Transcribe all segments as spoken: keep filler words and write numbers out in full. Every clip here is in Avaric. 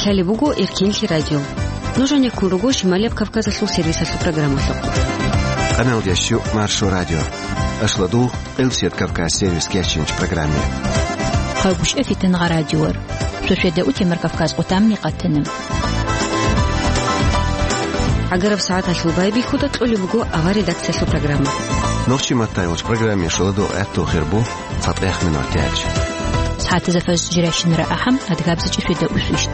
Гьале буго Эркинлъи радио. Нуж гьанеккун руго Шималияб Кавказалъул сервисалъул программалъухъ. Къамел ящу Маршо радио. Ашладул Элсет Кавказ сервис кечинч программе. Хъагуш эфитан гъа радиор. Сосведа утемар Кавказ къутамни къатана. ГӀагараб сагӀаталъул байбихьуда кьолеб буго авар редакциялъул программа. Нохчи маттайолч программе шоладо гӀатту хирбу. Фатех минутач. СагӀатазда фаз жиращинара ахӀам, адгабзичӀи фида усвищт.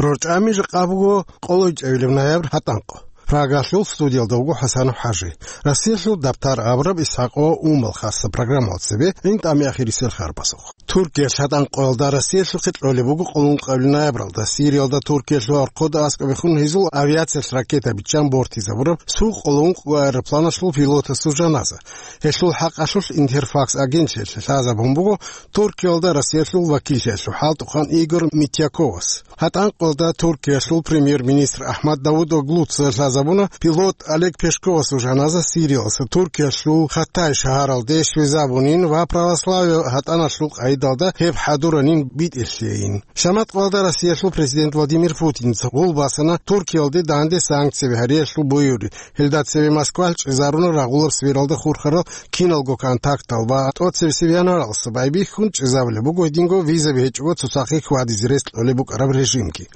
РорчӀами жакъа буго къолойчӀебилеб ноябрь гьатӀанкъо. Прагалъул студиялда вуго ХӀасанов ХӀажи. Россиялъул дабтар абураб ИсхӀакъо Умал хасса программал цебе гӀинтӀами ахирисел харбазухъ. Туркиялъ гьатӀанкъоялда Россиялъухъе кьолеб буго къоло ункъабилеб ноябралда. Сириялда Туркиялъул архъуда аскӀобехун гьезул авиациялъ ракета биччан бортизабураб суд къоло ункъго аэропланалъул пилотасул жаназа. Гьелъул хӀакъалъулъ Интерфакс агентлъиялъе лъазабун буго Туркиялда Россиялъул вакиллъиялъул хӀалтӀухъан Игор Митьяковас. ГьатӀанкъоялда Туркиялъул премьер-министр Ахмад Давутоглуца лъазабуна пилот Олег Пешковасул жаназа Сириялъа Туркиялъул Хаттай шагьаралде щвезабунин ва православие гьатӀаналъул къайдалда гьеб хӀадуранин битӀерлъейин. Шаматкъоялда Россиялъул президент Владимир Путинца гъул босана Туркиялде данде санкцияби гьариялъул буюри. Гьелда цеве Москвалъ чӀезаруна рагъулаб сфералда хурхарал киналго контактал ва тӀоцебесеб январалъ байбихьун чӀезабулеб буго гьединго визаби гьечӀого цоцахъе хьвадизе рес кьолеб букӀараб режимги.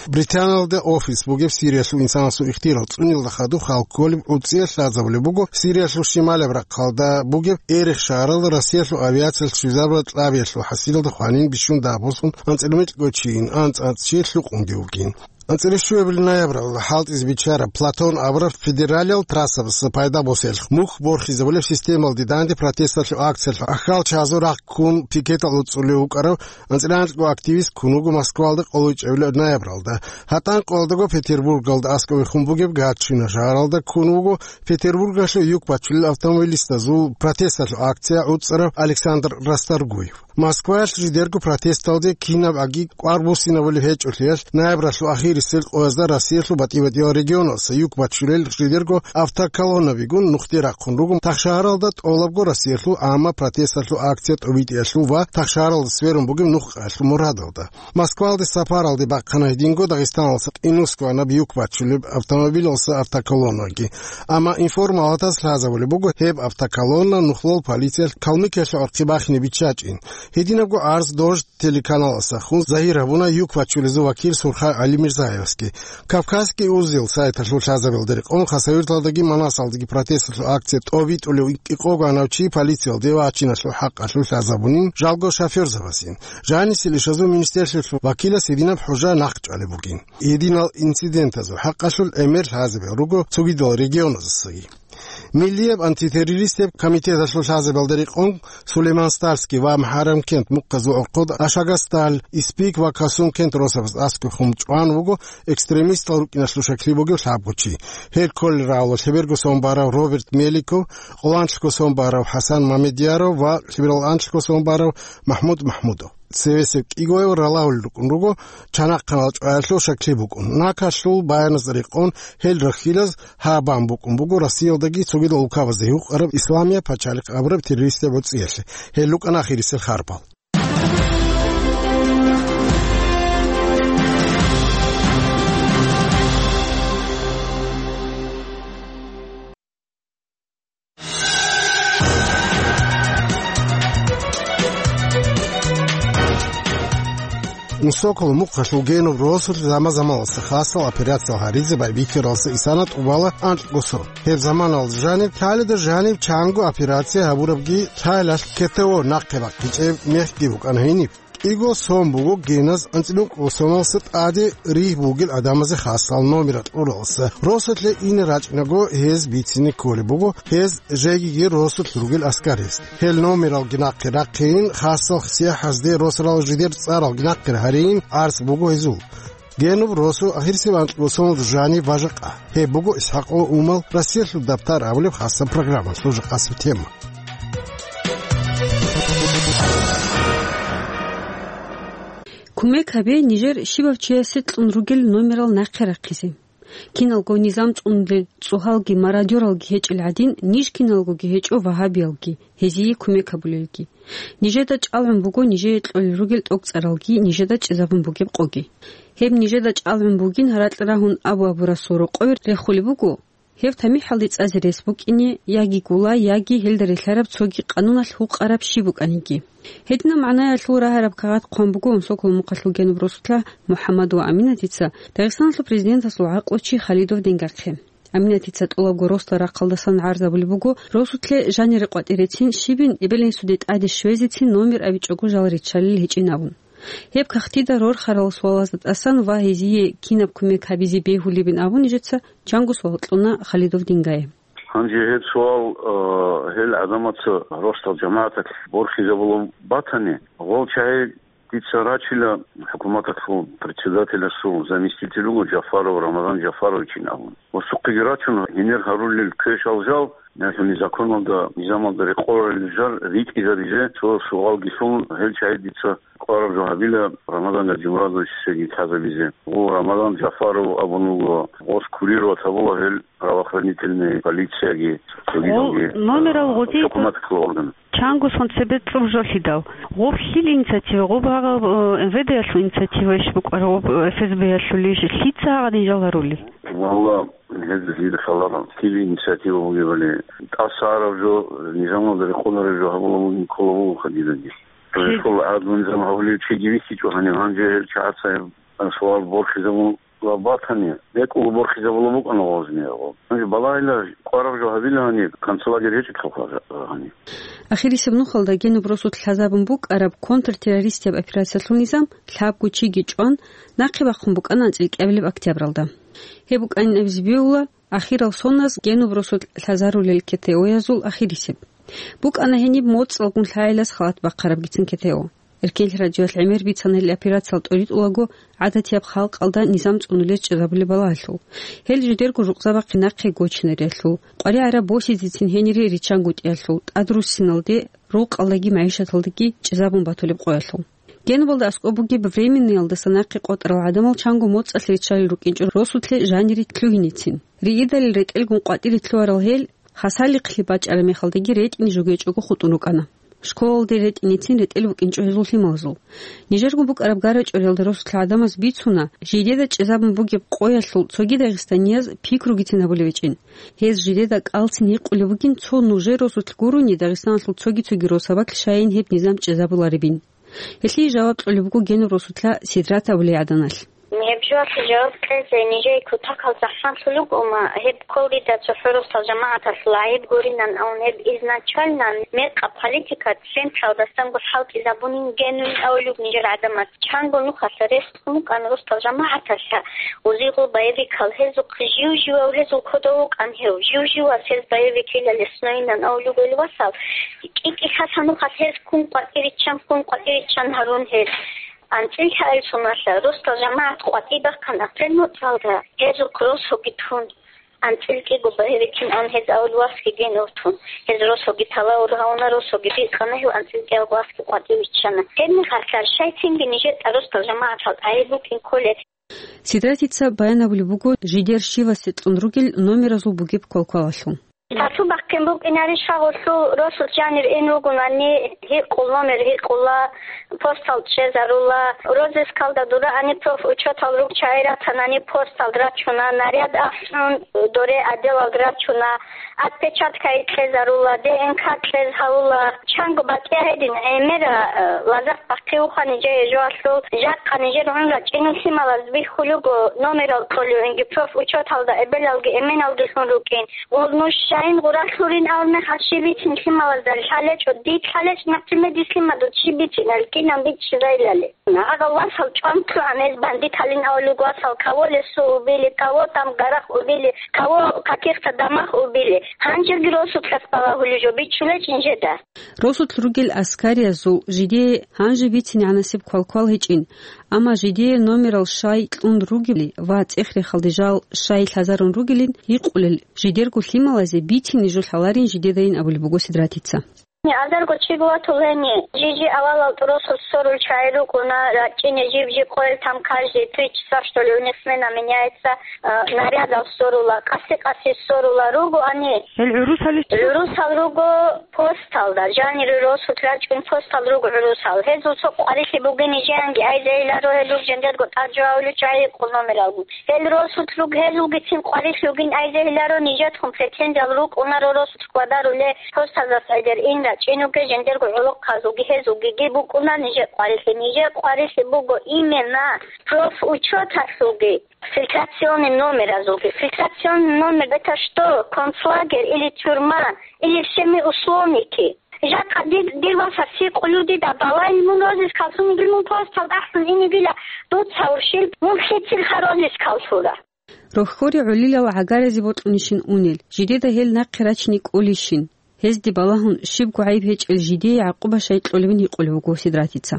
Британиялда офис бугеб Сириялъул инсанасул ихтияр цӀунилда хадуб хал кколеб гӀуцӀиялъ лъазабулеб буго Сириялъул шималаб рахъалда бугеб Эрех шагьаралда Россиялъул авиациялъ щвезабураб кьабиялъул хӀасилалда хванин бищун дагьбуссун анцӀила микьго чийин, анцӀ-анцӀ чи лъукъунги вукӀин. АнцӀила щуабилеб ноябралда хӀалтӀизе биччараб Платон абураб федералиял трассабаз пайда босиялъ мухь борхизабулеб системалде данде протесталъул акциялъ ахал чагӀазул рахъ ккун пикетал уцӀулев вукӀарав анцӀила анкьго активист ккун вуго Москвалда къоло чӀебилеб ноябралда. ГьатӀанкъоялдаго Петербургалда аскӀовехун бугеб Гатчина шагьаралда ккун вуго Петербургалъул юк бачулел автомобилистазул протесталъул акция гӀуцӀарав Александр Расторгуев. Москваялъ жидерго протесталде кинабгӀаги кӀвар буссинабулеб гьечӀолъиялъ, ноябралъул ахирисел къоязда Россиялъул батӀи-батӀиял регионалъа юк бачулел жидерго автоколоннабигун нухде рахъун руго тахшагьаралда тӀолабго Россиялъул гӀамма протесталъул акция тӀобитӀиялъул ва тахшагьаралда сверун бугеб нухъаялъул мурадалда. Москвалде сапаралде бахъана гьединго Дагъистаналъа Инусгванаб юк бачулеб автомобилалъа автоколоннаги. Амма информал гьатаз лъазабулеб буго гьеб автоколонна нухлол полициялъ Калмыкиялъул гӀорхъи бахине биччачӀин. Гьединабго гӀарз Дождь телеканаласда хун загьир гьабуна юк бачулезул вакил Сурхай ГӀалимирзаевасги. Кавказский узел сайталъул лъазабиялда рекъон Хасавюрталдаги Манасалдаги протесталъул акция тӀобитӀулев кӀикъого гьанав чи полициялде вачиналъул хӀакъалъулъ лъазабунин жалго шофёрзабазин. Жанисел ишазул министерствоялъул вакилас гьединаб хӀужа нахъчӀвалеб бугин. Гьединал инцидентазул хӀакъалъулъ гӀемер лъазабиялъ руго цогидал регионазасаги. Миллияб антитеррористияб комитеталъул лъазабиялда рекъон Сулейман-Стальский ва МухӀаррамкент мухъазул гӀорхъода Ашагасталь, Испик ва Касумкент росабаз аскӀовехун чӀван вуго экстремистал рукӀиналъул шаклъи бугев лъабго чи. Гьел кколел рагӀула лъеберго сон барав Роберт Меликов, къоло анлъго сон барав ХӀасан Мамедъяров ва лъеберал анлъго сон барав МахӀмуд МахӀмудов. Цевесеб кӀигояв ралагьулел рукӀун руго, чанахъанал чӀваялъул шаклъи букӀун. Накалъул баяназда рекъон гьел рахьилаз гьаб бан букӀун буго Россиялдаги цогидал улкабазда гьукъараб Исламияб пачалихъ абураб террористияб гӀуцӀиялъе. Гьел рукӀана ахирисел харпал. Сокол мухъалъул Генуб росулъ заман-заманалъ хасал операциял гьаризе байбихьаралъа исана тӀубала анкьго сон. Гьеб заманалда жаниб, лъалида жаниб чанго операция гьабурабги, лъалалъ КТО нахъе бахъичӀеб мехги букӀана гьениб. КӀиго сон буго геназ анцӀила ункъго соналъа тӀаде ригь бугел гӀадамазе хасал номерал кьуралъа. Росулъе ине рачӀинаго гьез бицине кколеб буго гьез жегиги росулъ ругел аскараз. Гьел номералги нахъе рахъейин, хасал сияхӀазде росарал жидер цӀаралги нахъе гьарейин гӀарц буго гьезул. Генуб росу ахирисеб анкьго соналда жаниб ва жакъа. Гьеб буго ИсхӀакъо Умал Россиялъул дабтар абулеб хасаб программалъул жакъасеб тема. Кумек гьабе нижер щибав чиясе кьун ругел номерал нахъе рахъизе. Киналго низам цӀунулел цӀугьалги мародёралги гьечӀел гӀадин, ниж киналгоги гьечӀо вагьабиялги, гьезие кумек гьабулелги. Нижеда чӀалгӀун буго нижее кьолел ругел тӀокӀцӀаралги, нижеда чӀезабун бугеб къоги. Гьеб нижеда чӀалгӀун бугин гьаракь рагьун абу-абурасул рокъове рехулеб буго, гьеб тамихӀалде цӀазе рес букӀине, яги гула, яги гьелда релълъараб цоги къануналъ гьукъараб щиб букӀаниги. Гьединаб магӀнаялъул рагьараб кагъат хъван буго Унсоколо мухъалъул генуб росулъа МухӀаммад ва Аминатица Дагъистаналъул президентасул гӀакълучи Халидов Дингахъе. Аминатица тӀолабго росдал рахъалдасан гӀарзабулеб буго, росулъе жанире къватӀирецин щибин эбел-инсуде тӀаде щвезецин номер абичӀого жал риччалел гьечӀин абун. Гьеб кагътида рорхарал суалазда тӀасан ва гьезие кинаб кумек гьабизе бегьулебин абун нижеца чанго суал кьуна Халидов Дингае. Гьанже гьеб суал, э, гьел гӀадамаца росдал жамагӀаталъ борхизабулеб батани, гъол чагӀи дица рачила, хӀукуматалъул председателасул заместитель вуго Жафаров, Рамазан Жафаровичин абун. Ва сухъеги рачун, гьенир гьарулел квешал жал, яни законалда, низамалда рекъоларел жал ритӀизабизе цо суалги лъун, гьел чагӀи дица кӀвараб жо гьабила Рамазан Гаджимурадовичасеги лъазабизе. Гъо, Рамазан Жафаров абун вуго, гъос курировать гьабула гьел правоохранительный полицияги, цогидалги, номерал э, гъозие хӀукуматалъул орган. Чанго сон цебе цӀуб жо лъидал. Гъоб лъил инициатива, гъоб гьагъаб, э, МВД-ялъул инициатива иш букӀараб, гъоб, э, ФСБ-ялъул иш, лъица гьагъадин жал гьарулел? Валла, гьез дида лъаларо, лъил инициатива бугебали, тӀаса араб жо, низамалда рекъолареб жо гьабула мугин ккола буго хадидаги. Жи- Рехъул гӀадлу низам гьавулев чиги вихьичӀо гьанив, гьанже гьел чагӀаца гьеб суал борхизабула батани, бекӀулго борхизабула букӀана гъозни гьаб. Гьанже балагьила кӀвараб жо гьабила гьаниб, концлагерь гьечӀелъулха гьаниб. Ахирисеб нухалда генуб росулъ лъазабун букӀараб контртеррористияб операциялъул низам лъабго чиги чӀван, нахъе бахъун букӀана анцӀил кӀиабилеб октябралда. Гьеб букӀанин абизе бегьула, ахирал соназ генуб росулъ лъазарулел КТО-язул ахирисеб. БукӀана гьениб моцӀалгун лъагӀелас халат бахъарабгицин КТО. Эркенлъи радиоялъ гӀемер бицана гьел операциялъ тӀоритӀулаго гӀадатияб халкъалда низам цӀунулез чӀезабулеб балагьалъул. Гьел жидерго жукъзабахъе нахъе гочинариялъул, къваригӀараб босизецин гьенире риччангутӀиялъул, тӀадруссиналде, рукъалдаги магӀишаталдаги чӀезабун батулеб къоялъул. Генубалда аскӀоб бугеб Временныйялдаса нахъе къотӀарал гӀадамал чанго моцӀалъ риччалел рукӀинчӀо росулъе жанире лъугьиницин. Ригидалил ретӀелгун къватӀире лъугьарал гьел, хасалихълъи бачӀараб мехалдаги ретӀине жугьечӀого хутӀун рукӀана. Школалде ретӀиницин ретӀел букӀинчӀо гьезул лъималазул. Нижерго букӀараб гарачӀориялда росулъ гӀадамаз бицуна, жидеда чӀезабун бугеб къоялъул цоги дагъистанияз пикругицин гьабулеб гьечӀин. Гьез жидеда кӀалцин гьикъулеб бугин цо нужер росулъ гурони Дагъистаналъул цоги-цоги росабалъ щайин гьеб низам чӀезабуларебин. Гьелъие жаваб кьолеб буго генуб росулъа Сидрат абулей гӀаданалъ. Гьеб жоялъе жаваб кьезе нижее кутакалда хӀаллъулеб бугома, гьеб кколдида цохӀо росдал жамагӀаталъул гӀайиб гуринан абун, гьеб изначально мекъаб политика централдасанго хӀалтӀизабунин генуин абулеб нижер гӀадамаз. Чанго нухалъа рес букӀана росдал жамагӀаталъа, узигъул боевикал гьезухъ жив-живав гьезул кодов вукӀан гьев, жив-живас гьез боевикила лесноинан абулеб гьел васал, кӀи-кӀи лъалъа нухалъ гьез ккун къватӀириччан, ккун къватӀириччан гьарун гьез. АнцӀил лъаил соналъа росдал жамагӀат къватӀи бахъана пленоцалда, гьезухъ росоги тун. АнцӀил кӀиго боевикин ан гьез авлуасги генуртун. Гьез росоги талавур гьавуна, росоги бикъана, гьев анцӀил кӀиялго аски къватӀи виччана. Гьеб мехалъа щайцинги нижер тӀаросдал жамагӀатал гӀайиб букӀин кколеб. Сидратица баян абулеб буго жидер щивасе кьун ругел номеразул бугеб квалквалалъул. Тату бахъин букӀинарищ гьагъулъул росулъ жанир ин ругунани, гьикъул номер гьикъула, постал чӀезарула, розыскалда дураани профучетал ругчагӀи ратанани постал рачуна, наряд ахӀун доре отделалда рачуна, отпечатка кьезарула, ДНК кьез гьавула. Чанго батӀияб гьедин гӀемера, э, лазакь бахъиухъани жеги жоялъул, жакъа нижер гӀун рачӀинул лъималаз бихьулего номерал кьолевинги профучеталда эбелалги эменалги лъун рукӀин. Гъол нуж щайин гъуралъулин абун мехалъ щиб бицин лъималазда лъалечӀо, дид лъалечӀ, например, дис лъимадул щиб бицинали кинан биччизайилали. Гьагъал васал чӀван лъугьанез бандиталин авлуг васал, кого лесо убили, кого там гарах убили, кого каких-то домах убили. Гьанжеги росулъас балагьулел жо биччулечӀин жеда. Росулъ ругел аскариязул жидее гьанже бицинегӀанасеб квалквал гьечӀин, амма жидее номерал щай кьун ругели ва цӀех-рехалде жал щай лъазарун ругелин гьикъулел жидерго лъималазе бицине жо лъаларин жидедайин абулеб буго Сидратица. Азарго чи гуратул гьени, жижи авалал тӀуросул ссорул чагӀи рукӀуна, рачӀине жиб-жиб къоял там каждые три часа, что ли, у них смена меняется, э, нарядал ссорула, къаси-къаси ссорула руго ани. Гьел гӀурусали? ГӀурусал руго посталда, жанир росут рачӀун постал руго гӀурусал. Гьезул цо къварилъи бугин нижеянги айзейиларо, гьел руг жендерго тӀад жо гьавулев чагӀи къулумералгун. Гьел росут руг, гьезулгицин къварилъи бугин айзейиларо, нижетхун претензиял рукӀунаро росут квадаруле, постазас гӀедер ин рачӀинуге, жендерго гӀолохъазулги гьезулгиги букӀуна нижер къварилъи. Нижер къварилъи буго именно профучёталъулги, фильтрационный номеразулги. Фильтрационный номер — это что, концлагерь или тюрьма, или всеми условники? Жакъа дир, дир васаси къулудида балайин мун розис калсунигил мун постал тӀахьун инигила дуца уршил, мун лъицил ха розис калсура. Рохьори гӀолилал гӀагаразе бокьунищин унел, жидеда гьел нахъе рачине кӀолищин? Гьезде балагьун, щибго гӀайиб гьечӀел жидее гӀакъуба щай кьолебин гьикъулев вуго Сидратица.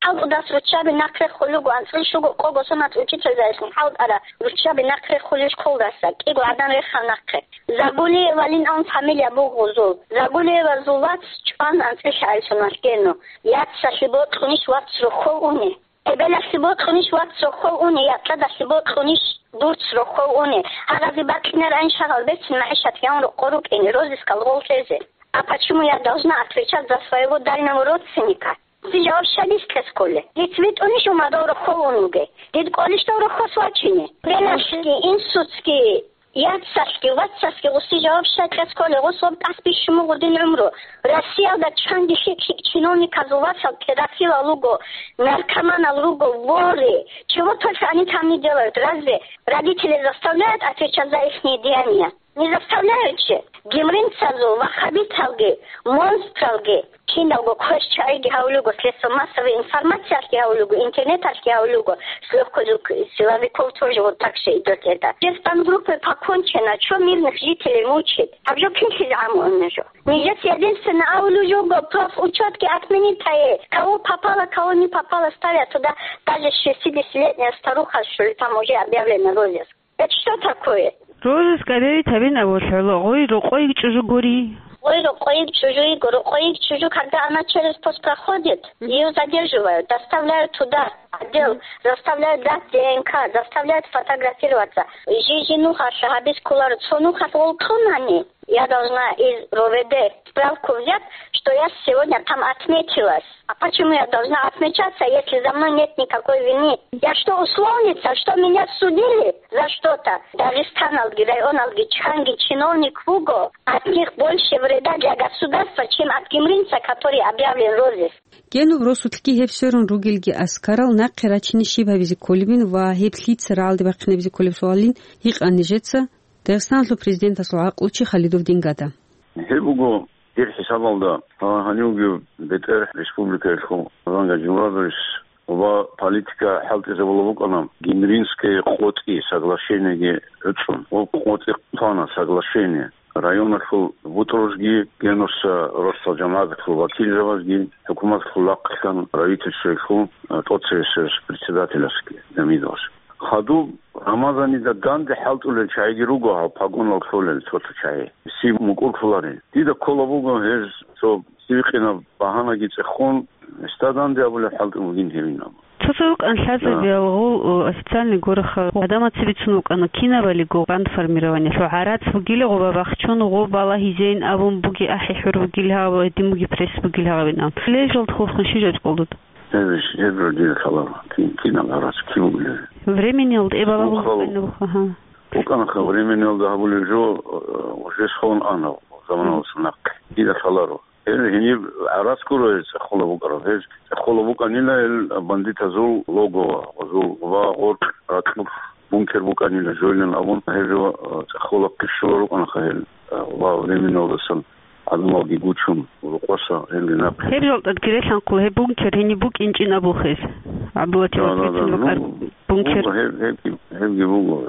ХӀалтӀудас руччаби нахъе хулуго, анцӀил щуго къого сонац учительзайилъун хӀалтӀара руччаби нахъе хулищ кколдаса, кӀиго гӀадан рехал нахъе. Загулиевалин ан фамилия бугъузул. Загулиевазул вац чӀван анцӀил гӀайсуналъ гену. Яцалъи бокьунищ вац рохьов уни? Эбелалъе бокьунищ вац рохьов уни, якьадалъе бокьунищ дурц рохьов уни? Гьаразе бакьинаран шагьал берцин магӀишат гьавун рокъо рукӀине, розискал гъол лъезе. А почему я должна отвечать за своего дальнего родственника? Дир жаваб щай дис кьес кколе? Диц витӀунищ умадав рохьов ун вуге? Дид кӀолищ дов рохьос вачине? Эбелалъги, инсуцги, Яцалъги, вацалъги гъуси жаваб щай кьес кколе, гъус гъоб тӀас бищун буго дин гӀумру. Россиялда чанги лъикӀ-лъикӀ чиновниказул васал педофилал руго, наркоманал руго, воры. Чего только они там не делают. Разве родители заставляют отвечать за ихние деяния? Не заставляют же. Гимринцазул, ваххабиталги, монстралги. Киналго квеш чагӀиги гьавулего, средства массовой информациялъги гьавулего, интернеталъги гьавулего, с лёгкостью силовиков тоже вот так же идёт это. Все спецгруппы покончено, чё мирных жителей мучает? Гьаб жо кинлъи гӀамулеб жо? Нижец единственно авулев жого, профучётги отменить гьае. Кого попало, кого не попало, ставят туда, даже шестидесятилетняя старуха, что ли, там уже объявлена розыск. Это что такое? Розыск объявить гьабин абулеб гьола, гъой рокъойги чӀужу гури. Гъой рокъойги чӀужу йиго, рокъойги чӀужу, когда она через пост проходит, её задерживают, доставляют туда, отдел, заставляют дать Д Н К, заставляют фотографироваться. Жи-жи нухалъ гьабиз кколаро, цо нухалъ гъол кьунани, я должна из Р У В Д справку взять, что я сегодня там отметилась. А почему я должна отмечаться, если за мной нет никакой вины? Я что, условница, что меня судили за что-то? Дагъистаналги, районалги чанги чиновник вуго, от них больше вреда для государства, чем от гимринца, который объявлен розыск. Генуб росулъги гьеб сверун ругелги аскарал нахъе рачине щиб гьабизе кколебин ва гьеб лъица рагӀалде бахъинабизе кколеб суалин гьикъан нижеца Дагъистаналъул президентасул гӀакълучи Халидов Дингада. Гьеб буго, дир хӀисабалда, гьанивги бетӀер республикаялъул Рамзан Гаджимурадович ва политика хӀалтӀизабула букӀана Гимринское къотӀи соглашениеги гӀуцӀун. Ва къотӀи хъвана соглашение. Районалъул бутӀрузги Генуса росдал жамагӀаталъул вакилзабазги, хӀукуматалъул лагълъан правительствоялъул, а, тӀоцебесеб председателасги Гьамидовас. Хадуб Рамазанида данде хӀалтӀулел чагӀиги руго гьав погонал кколел цо-цо чагӀи. Сиб мукӀурлъуларел. Дида ккола буго гьез цо сибикъинаб багьанаги цӀехун, гьесда данде абулеб хӀалтӀун бугин гьевин абун. Цо-цо рукӀан лъазабиялгъул, о, официальный гораха гӀадамаца бицун вукӀана кинабалиго бандформированиялъул гӀарац бугила гъоба бахчун, гъоб балагьизейин абун буги ахӀи хӀур бугил гьав, гьедин буги пресс бугил гьавин абун. Лежалд хурхун щижаб къулдуд? Гьеб иш, гьеб жо дида лъаларо. Кин, кинаб гьарац, кин вугилари? Времениял тӀе балагьун вукъал-, вукӀана, гьа. ВукӀанаха времениялда гьабулеб жо, э, уже сон ана, заманалъ нахъе. Дида лъаларо. Гьел гьениб гӀарац гуро гьез цӀехола букӀараб. Гьез цӀехола букӀанила гьел бандитазул логово, гъозул ва гъоркь ракьулъ бункер букӀанила жойлан абун, гьеб жо, э, цӀехола ккишула рукӀанаха гьел, э, ва времениялдасан гӀадамалги гучун, рукъоса гьелги нахъе. Гьеб жолтӀадги релъанхъула гьеб бункер гьениб букӀинчӀин абулхъе. ГӀабдулатив. Да, да, да. Ватутин вукӀар бункер. Ну, гьеб, гьеб, гьебги буго.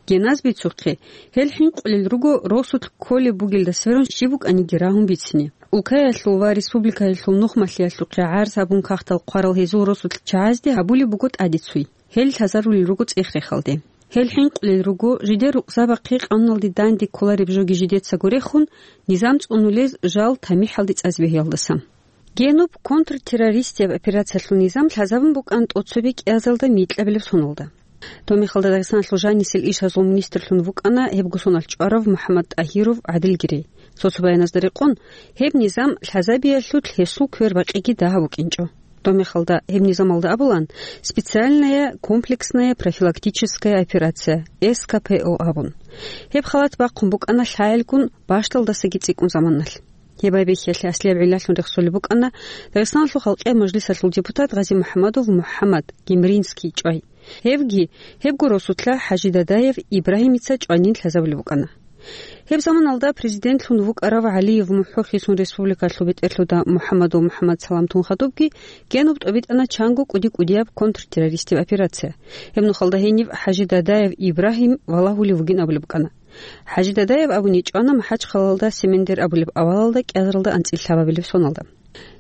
Геназ бицухъе, гьел хӀинкъулел руго росулъ кколеб бугелда сверун щиб букӀаниги рагьун бицине. Улкаялъул ва республикаялъул нухмалъиялъухъе гӀарз гьабун кагътал хъварал гьезул росулъ чагӀазде гьабулеб буго тӀадецуй. Гьел лъазарулел руго цӀех-рехалде. Гьел хӀинкъулел руго, жидер рукъзабахъе къануналде данде кколареб жоги жидецаго рехун, низам цӀунулез жал тамихӀалде цӀазе бегьиялдаса. Генуб контртеррористияб операциялъул низам лъазабун букӀана тӀоцебе кӀиазалда микьабилеб соналда. Доб мехалда Дагъистаналъул жанисел ишазул министрлъун вукӀана гьебго сонал чӀварав МухӀаммад ТӀагьиров ГӀадилгирей. Цо-цо баяназда рекъон, гьеб низам лъазабиялъулъ гьесул квербакъиги дагьаб букӀинчӀо. Доб мехалда гьеб низамалда абулан: «Специальная комплексная профилактическая операция», С К П О абун. Гьеб халат бахъун букӀана лъагӀелгун бащдалдасаги цӀикӀкӀун заманалъ. Гьеб байбихьиялъе аслияб гӀиллалъун рехсолеб букӀана Дагъистаналъул халкъиял мажлисалъул депутат Гъази-МухӀамадов МухӀаммад Гемринский чӀвай. Гьевги, гьебго росулъа ХӀажи Дадаев Ибрагьимица чӀванин лъазабулеб букӀана. Гьеб заманалда президентлъун вукӀарав ГӀалиев МухӀо хисун республикалъул бетӀерлъуда МухӀамадов МухӀамад саламтун хадубги, Генуб тӀобитӀана чанго кӀуди-кӀудияб контртеррористияб операция. Гьеб нухалда гьениб ХӀажи Дадаев Ибрагьим валагьулев вугин абулеб букӀана. ХӀажи Дадаев абуни чӀвана МахӀачхъалалда Семендер абулеб авалалда кӀиазаралда анцӀила лъабабилеб соналда.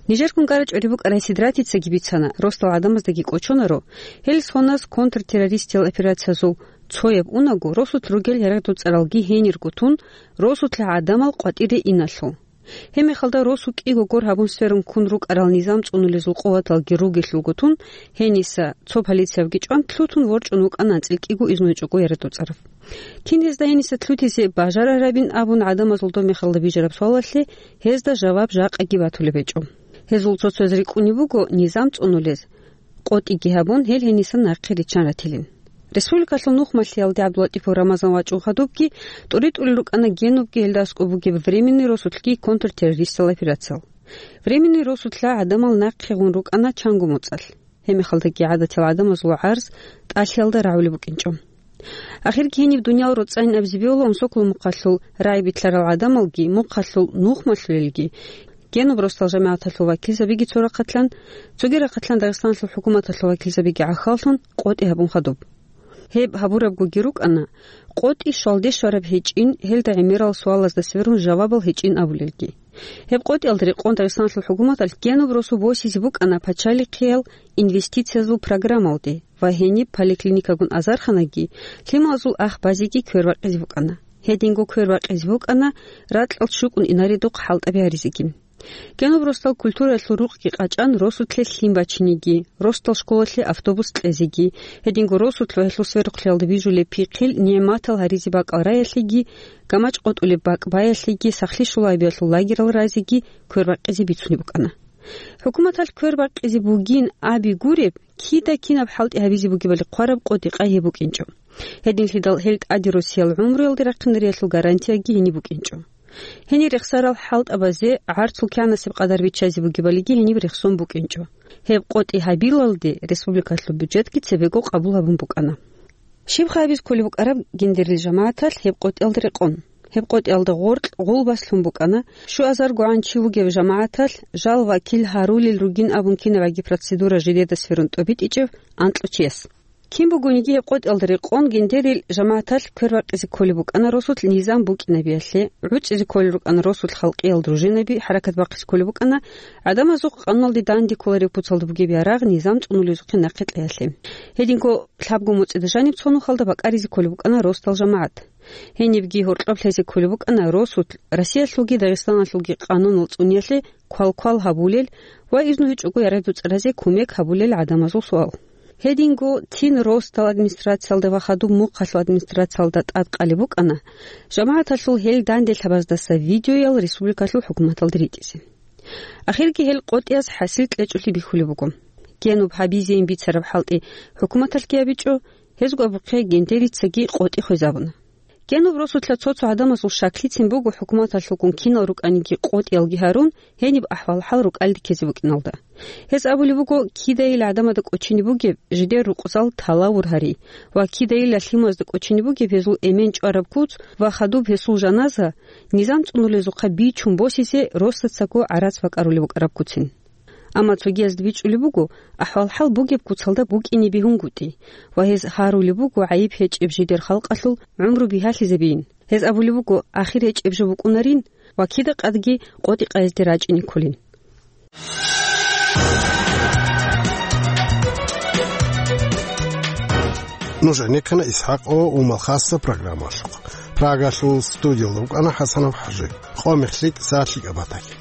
Нижер кункара чӀвари букӀарай Сидратицаги бицана, росдал гӀадамаздаги кӀочонаро, гьел соназ контртеррористиял операциязул цояб унаго, росулъ ругел ярагъдул цӀаралги гьенирго тун, росулъа гӀадамал къватӀире иналъул. Гьеб мехалда росу кӀиго гор гьабун сверун ккун рукӀарал низам цӀунулезул къуваталги ругелъулго тун, гьениса цо полициявги чӀван лъутун ворчӀун вукӀана анцӀила кӀиго изнуй чӀого ярагъдул цӀарав. Кин гьезда гьениса лъутизе бажарарабин абун гӀадамазул доб мехалда бижараб суалалъе гьезда жаваб жакъаги батулеб гьечӀо. Гьезул цо-цояз рикӀкӀунеб буго низам цӀунулез, къотӀиги гьабун, гьел гьениса нахъе риччан ратилин. Республикалъул нухмалъиялде ГӀабдулатӀипов Рамазан вачӀун хадубги, тӀури-тӀурел рукӀана Генубги гьелда аскӀоб бугеб Временный росулъги контртеррористал операциял. Временный росулъа гӀадамал нахъе гъун рукӀана чанго моцӀалъ. Гьеб мехалдаги гӀадатиял гӀадамазул гӀарз тӀалъиялда рагӀулеб букӀинчӀо. Ахирги гьениб дуниял роцӀцӀайин абизе бегьула Умсокла мухъалъул рагӀи билълъарал гӀадамалги, мухъалъул нухмалъулелги, Генуб росдал жамагӀаталъул вакилзабиги цо рахъалъан, цоги рахъалъан Дагъистаналъул хӀукуматалъул вакилзабиги гӀахьаллъун къотӀи гьабун хадуб. Гьеб гьабурабгоги рукӀана, къотӀи щвалде щвараб гьечӀин, гьелда гӀемерал суалазда сверун жавабал гьечӀин абулелги. Гьеб къотӀиялда рекъон Дагъистаналъул хӀукуматалъ Генуб росу босизе букӀана пачалихъиял инвестициязул программалде ва гьениб поликлиникагун азарханаги, лъималазул ах базеги квербакъизе букӀана. Гьединго квербакъизе букӀана ракьал щукӀун инаредухъ хӀалтӀаби гьаризеги. Генуб росдал культураялъул рукъги къачӀан, росулъе лъим бачинеги, росдал школалъе автобус кьезеги, гьединго росулъ ва гьелъул сверухълъиялда бижулеб пихъил нигӀматал гьаризе бакӀал раялъеги, гамачӀ къотӀулеб бакӀ баялъеги, сахлъи щулабиялъул лагерал разеги квербакъизе бицунеб букӀана. ХӀукуматалъ квербакъизе бугин аби гуреб, кида кинаб хӀалтӀи гьабизе бугебали хъвараб къотӀи-къай гьеб букӀинчӀо. Гьединлъидал гьел тӀаде росиял гӀумруялде рахъинариялъул гарантияги гьениб букӀинчӀо. Гьенир рехсарал хӀалтӀабазе гӀарцул кигӀанасеб къадар биччазе бугебалиги гьениб рехсон букӀинчӀо. Гьеб къотӀи гьабилалде республикалъул бюджетги цебего къабул гьабун букӀана. Щибха абизе кколеб букӀараб гендерил жамагӀаталъ гьеб къотӀиялда рекъон? Гьеб къотӀиялда гъоркь гъулбас лъун букӀана, щуазаргогӀан чи вугев жамагӀаталъ жал вакил гьарулел ругин абун кинабгӀаги процедура жидеда сверун тӀобитӀичӀев анкьучияс. Кин бугониги гьеб къотӀиялда рекъон гендерил жамагӀаталъ квербакъизе кколеб букӀана росулъ низам букӀинабиялъе, гӀуцӀизе кколел рукӀана росулъ халкъиял дружинаби хӀаракат бахъизе кколеб букӀана, гӀадамазухъ къануналде данде кколареб куцалда бугеб ярагъ низам цӀунулезухъе нахъе кьеялъе. Гьединго лъабго моцӀида жаниб цо нухалда бакӀаризе кколеб букӀана росдал жамагӀат. Гьенибги гьоркьоб лъезе кколеб букӀана росулъ Россиялъулги Дагъистаналъулги къанунал цӀуниялъе квалквал гьабулел ва изну гьечӀого ярагъдул цӀаразе кумек гьабулел гӀадамазул суал. Гьединго цин росдал администрациялда ва хадуб мухъалъул администрациялда тӀадкъалеб букӀана жамагӀаталъул гьел данде лъабаздаса видеоял республикалъул хӀукуматалде ритӀизе. Ахирги гьел къотӀиялъ хӀасил кьечӀолъи бихьулеб буго. Генуб гьабизейин бицараб хӀалтӀи хӀукуматалъги гьабичӀо, гьезго абухъе гендерицаги къотӀи хвезабуна. Генуб росулъа цо-цо гӀадамазул щаклицин буго хӀукуматалъулгун кинал рукӀаниги къотӀиялги гьарун, гьениб ахӀвал-хӀал рукӀалде ккезе букӀиналда. Гьез абулеб буго, кидайил гӀадамазда кӀочине бугеб жидер рукъзал талавур гьари ва кидайилла лъимазда кӀочине бугеб гьезул эмен чӀвараб куц ва хадуб гьесул жаназа низам цӀунулезухъа бичун босизе росдацаго гӀарац бакӀарулеб букӀараб куцин. Амма цогиязда бичӀчӀулеб буго, ахӀвал-хӀал бугеб куцалда букӀине бегьунгутӀи ва гьез гьарулеб буго гӀайиб гьечӀеб жидер халкъалъул гӀумру бигьалъизабейин. Гьез абулеб буго, ахир гьечӀеб жо букӀунарин ва кида къадги къотӀи-къайизде рачӀине кколин. Нуж гӀенеккана ИсхӀакъ ва Умал хасса программалъухъ. Прагалъул студиялда вукӀана ХӀасанов ХӀажи. Къо мехлъи, са лъикӀаб батаги.